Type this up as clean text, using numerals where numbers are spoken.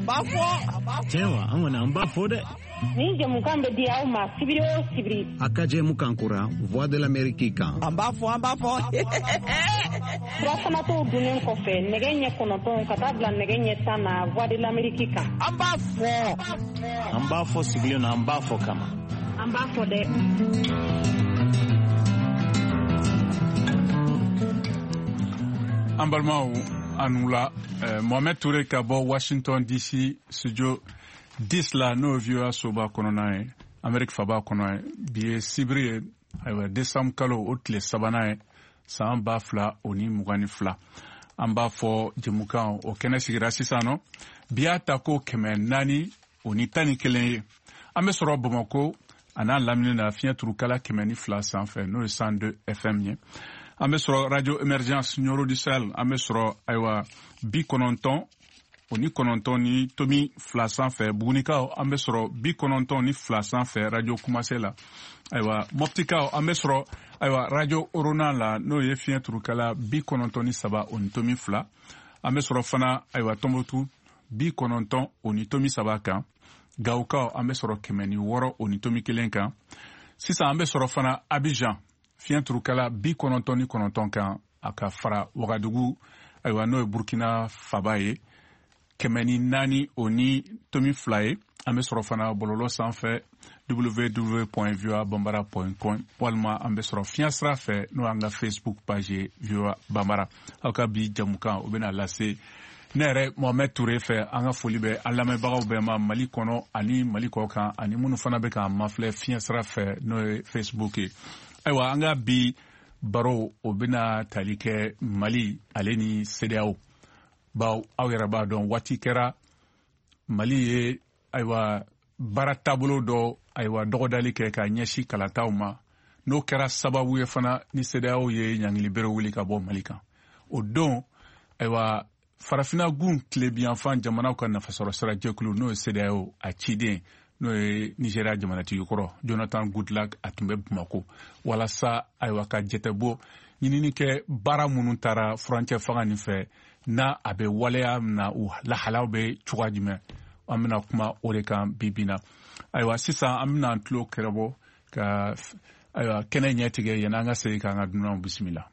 An b'a fɔ. Tiɲɛ wa, an kɔni an b'a fɔ dɛ. Nin jɛmukan bɛ di aw ma sibiri o sibiri. A ka jɛmukan kura Voix de l'Amérique kan. An b'a fɔ, an b'a fɔ. Surafanatɔw dunnen kɔfɛ nɛgɛ ɲɛ 9 ka taa bila nɛgɛ ɲɛ 10 na Voix de l'Amérique kan. An b'a fɔ. An b'a fɔ sigilen na, an b'a fɔ kama. An b'a fɔ dɛ. An balimaw, a ni wula. Mohamed Touré ka bɔ Washington DC studio 10 la, n'o ye VOA soba kɔnɔna ye, Amérique faba kɔnɔ ye. Bi ye sibiri ye, ayiwa, décembre kalo o tile sabanan ye, san 2022. An b'a fɔ jɛmukan o kɛnɛ sigira sisan nɔ. Bi y'a ta ko 411 ye. An bɛ sɔrɔ Bamakɔ a n'a lamini na fiɲɛ turukala 102 sanfɛ, n'o ye 102 FM ye. An bɛ sɔrɔ Radio Emergence Nioro du Sahel, an bɛ sɔrɔ ayiwa 99.2 sanfɛ. Bugunikaw, an bɛ sɔrɔ 92 sanfɛ Radio Kumase la. Ayiwa, Moptikaw, an bɛ sɔrɔ ayiwa Radio Orona la, n'o ye fiɲɛ turukala 93.2. An bɛ sɔrɔ fana ayiwa Tɔnbukutu 90.3 kan. Gawukaw, an bɛ sɔrɔ 106.1 kan. Sisan an bɛ sɔrɔ fana Abidjan fiɲɛ turukala 99 kan, a ka fara Wagadugu, ayiwa, n'o ye Burkina faba ye, 104.2 ye. An bɛ sɔrɔ fana bɔlɔlɔ sanfɛ www.voabambara.com, walima an bɛ sɔrɔ fiɲɛ sira fɛ, n'o y'an ka Facebook page ye, VOA Bambara. Aw ka bi jamukan o bɛna lase ne yɛrɛ Mohamed Touré fɛ. An ka foli bɛ an lamɛnbagaw bɛɛ ma Mali kɔnɔ ani Mali kɔ kan, ani minnu fana bɛ k'an mafilɛ fiɲɛ sira fɛ, n'o ye Facebook ye. Ayiwa, an ka bi baro o bɛna tali kɛ Mali ale ni CEDEAO, bawo aw yɛrɛ b'a dɔn, waati kɛra Mali ye ayiwa baara taabolo dɔ ayiwa dɔgɔdali kɛ ka ɲɛsin kalataw ma, n'o kɛra sababu ye fana ni CEDEAO ye ɲangili bere wuli ka bɔ Mali kan. O don ayiwa Farafinna gun tilebiyanfan jamanaw ka nafasɔrɔ sira jɛkulu, n'o ye CEDEAO a ciden, n'o ye Nigeria jamanatigi kɔrɔ Jonathan Goodluck, a tun bɛ Bamako walasa ayiwa ka jɛtɛbɔ ɲinini kɛ baara minnu taara furancɛ fanga nin fɛ, n'a a bɛ waleya na, u lahalaw bɛ cogoya jumɛn. An bɛna kuma o de kan bi bi na. Ayiwa, sisan an bɛna an tulo kɛrɛbɔ ka ayiwa kɛnɛ ɲɛtigɛ yanni an ka segin k'an ka dunanw bisimila.